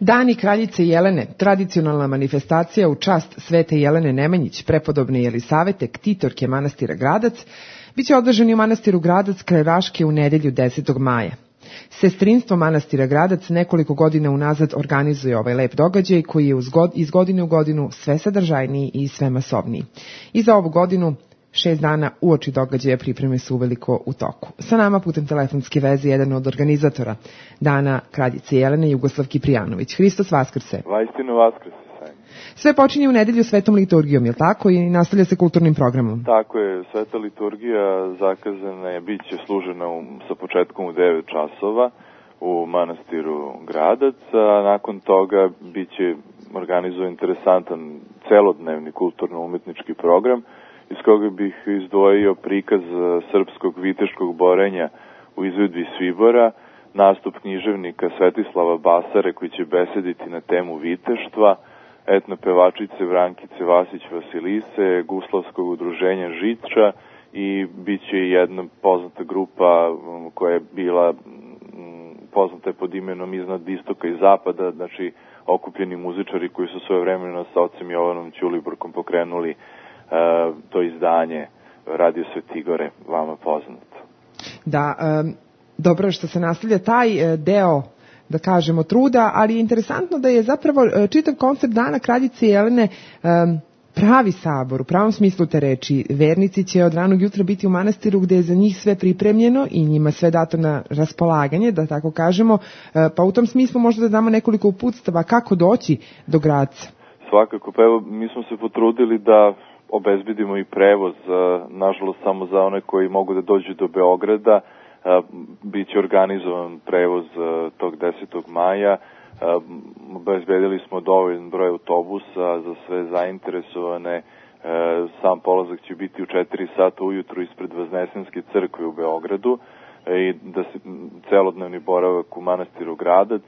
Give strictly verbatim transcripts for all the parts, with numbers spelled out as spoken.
Dani kraljice Jelene, tradicionalna manifestacija u čast Svete Jelene Nemanjić, prepodobne Jelisavete, ktitorke manastira Gradac, biće održani u manastiru Gradac kraj Raške u nedelju desetog maja. Sestrinstvo manastira Gradac nekoliko godina unazad organizuje ovaj lep događaj koji je iz godine u godinu sve sadržajniji i sve masovniji. I za ovu godinu šest dana uoči događaja pripreme su uveliko u toku. Sa nama putem telefonske veze jedan od organizatora Dana kraljice Jelene, Jugoslav Kiprijanović. Hristos Vaskrse. Vaistinu Vaskrse. Sve počinje u nedelju svetom liturgijom, je li tako? I nastavlja se kulturnim programom. Tako je, sveta liturgija zakazana je, bit će služena u, sa početkom u devet časova u manastiru Gradac, a nakon toga bit će organizovan interesantan celodnevni kulturno-umetnički program iz koga bih izdvojio prikaz srpskog viteškog borenja u izvedbi Svibora, nastup književnika Svetislava Basare koji će besediti na temu viteštva, etno pevačice Vrankice Vasić-Vasilise, Guslavskog udruženja Žiča i bit će jedna poznata grupa koja je bila poznata pod imenom Iznad istoka i zapada, znači okupljeni muzičari koji su svoje vremena sa ocem Jovanom Ćulibrkom pokrenuli uh, to izdanje Radio Svetigore, vama poznato. Da, um, dobro što se nastavlja taj uh, deo, da kažemo, truda, ali je interesantno da je zapravo čitav koncept Dana kraljice Jelene um, pravi sabor, u pravom smislu te reči. Vernici će od ranog jutra biti u manastiru gde je za njih sve pripremljeno i njima sve dato na raspolaganje, da tako kažemo, pa u tom smislu možda da damo nekoliko uputstava kako doći do Gradca. Svakako, pa evo, mi smo se potrudili da obezbedimo i prevoz, nažalost samo za one koji mogu da dođu do Beograda. Biće organizovan prevoz tog desetog maja. Obezbedili smo dovoljan broj autobusa za sve zainteresovane. Sam polazak će biti u četiri sata ujutru ispred Vaznesenske crkve u Beogradu i da se celodnevni boravak u manastiru Gradac.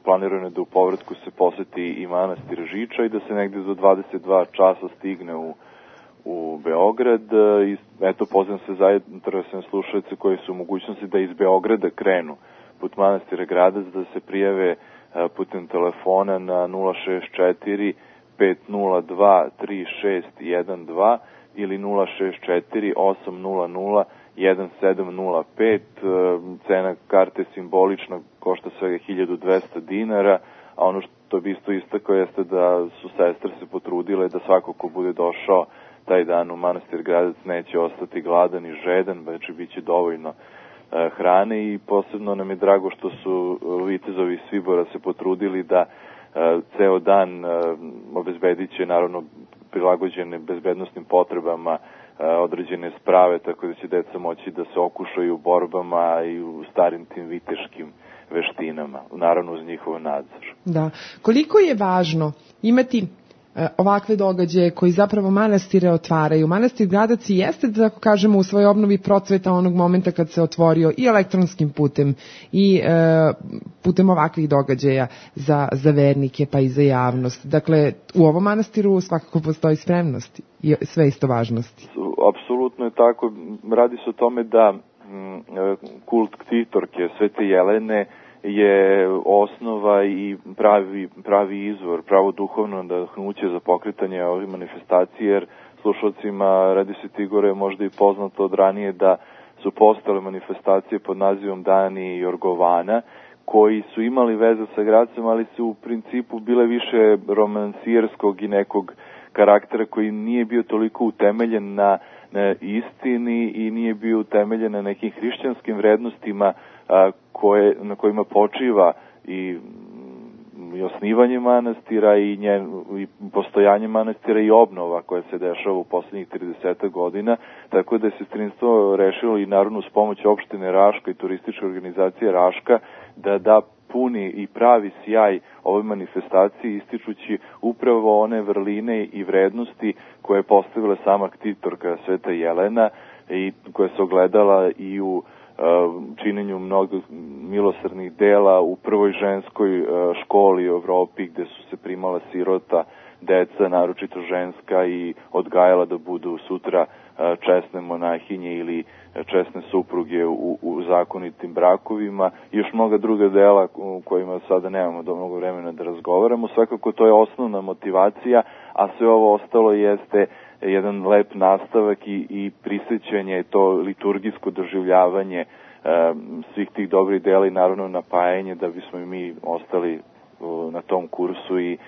Planirano je da u povratku se poseti i manastir Žiča i da se negde do dvadeset dva časa stigne u u Beograd. I eto, pozivam se zainteresovane slušalce koji su u mogućnosti da iz Beograda krenu put manastira Gradac, da se prijave putem telefona na nula šest četiri pet nula dva tri šest jedan dva ili nula šest četiri osam nula nula jedan sedam nula pet. Cena karte simbolična, košta svega hiljadu dvesta dinara, a ono što bi isto istakao jeste da su sestre se potrudile da svako ko bude došao taj dan u manastir Gradac neće ostati gladan i žedan, znači bit će dovoljno e, hrane i posebno nam je drago što su vitezovi Svibora se potrudili da e, ceo dan e, obezbedit će naravno prilagođene bezbednostnim potrebama e, određene sprave, tako da će deca moći da se okušaju u borbama i u starim tim viteškim veštinama, naravno uz njihov nadzor. Da. Koliko je važno imati ovakve događaje koji zapravo manastire otvaraju. Manastir Gradac i jeste, da tako kažemo, u svojoj obnovi procveta onog momenta kad se otvorio i elektronskim putem i e, putem ovakvih događaja za, za vernike pa i za javnost. Dakle, u ovom manastiru svakako postoji spremnost i sve isto važnosti. Apsolutno je tako. Radi se o tome da m, kult ktitorke Svete Jelene je osnova i pravi, pravi izvor, pravo duhovno nadahnuće za pokretanje ovih manifestacije, jer slušalcima Radi Svetigore je možda i poznato od ranije da su postale manifestacije pod nazivom Dani Jorgovana, koji su imali veze sa Gradcem, ali su u principu bile više romansierskog i nekog karaktera koji nije bio toliko utemeljen na, na istini i nije bio utemeljen na nekim hrišćanskim vrednostima a, koje, na kojima počiva i, i osnivanje manastira i, njen, i postojanje manastira i obnova koja se dešava u poslednjih trideset godina, tako da je sestrinstvo rešilo i naravno uz pomoć opštine Raška i turističke organizacije Raška da da puni i pravi sjaj ovoj manifestaciji, ističući upravo one vrline i vrednosti koje je postavila sama ktitorka Sveta Jelena i koja se ogledala i u činjenju mnogo milosrdnih dela u prvoj ženskoj školi u Evropi gde su se primala sirota deca, naročito ženska, i odgajala da budu sutra česne monahinje ili česne supruge u, u zakonitim brakovima i još mnoga druga dela u kojima sada nemamo do mnogo vremena da razgovaramo. Svakako to je osnovna motivacija, a sve ovo ostalo jeste jedan lep nastavak i, i prisjećanje, to liturgijsko doživljavanje e, svih tih dobrih dela i naravno napajanje da bismo i mi ostali e, na tom kursu i e,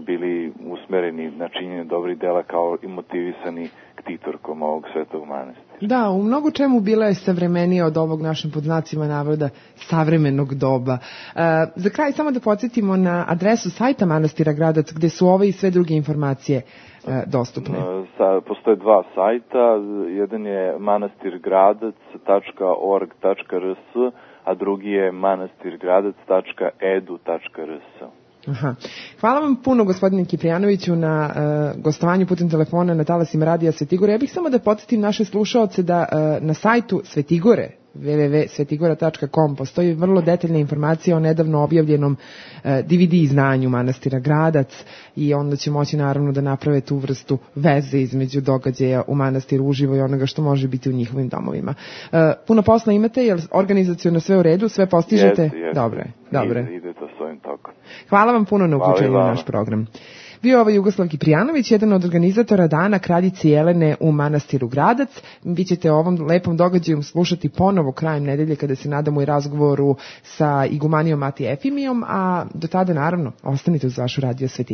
bili usmereni na činjenje dobrih dela kao i motivisani ktitorkom ovog svetog manastira. Da, u mnogo čemu bila je savremenija od ovog našim pod znacima navoda savremenog doba. E, za kraj samo da podsjetimo na adresu sajta manastira Gradac gde su ove i sve druge informacije e, dostupne. Sa, postoje dva sajta, jedan je manastirgradac tačka org tačka r s, a drugi je manastirgradac tačka e d u tačka r s. Aha. Hvala vam puno, gospodine Kiprijanoviću, na uh, gostovanju putem telefona na talasima Radija Svetigore. Ja bih samo da podsjetim naše slušaoce da uh, na sajtu Svetigore w w w tačka svetigora tačka com postoji vrlo detaljna informacija o nedavno objavljenom uh, D V D izdanju manastira Gradac i onda će moći naravno da naprave tu vrstu veze između događaja u manastiru uživo i onoga što može biti u njihovim domovima. Uh, puno posla imate, jer organizacijono sve u redu, sve postižete? Jeste, jeste. Dobre, dobre. Ide, ide to svojim tokom. Hvala vam puno na uključenju u naš program. Bio je ovo Jugoslav Kiprijanović, jedan od organizatora Dana Kraljice Jelene u manastiru Gradac. Vi ćete o ovom lepom događaju slušati ponovo krajem nedelje kada se nadamo i razgovoru sa igumanijom Mati Efimijom, a do tada naravno ostanite uz vašu Radio Svetigora.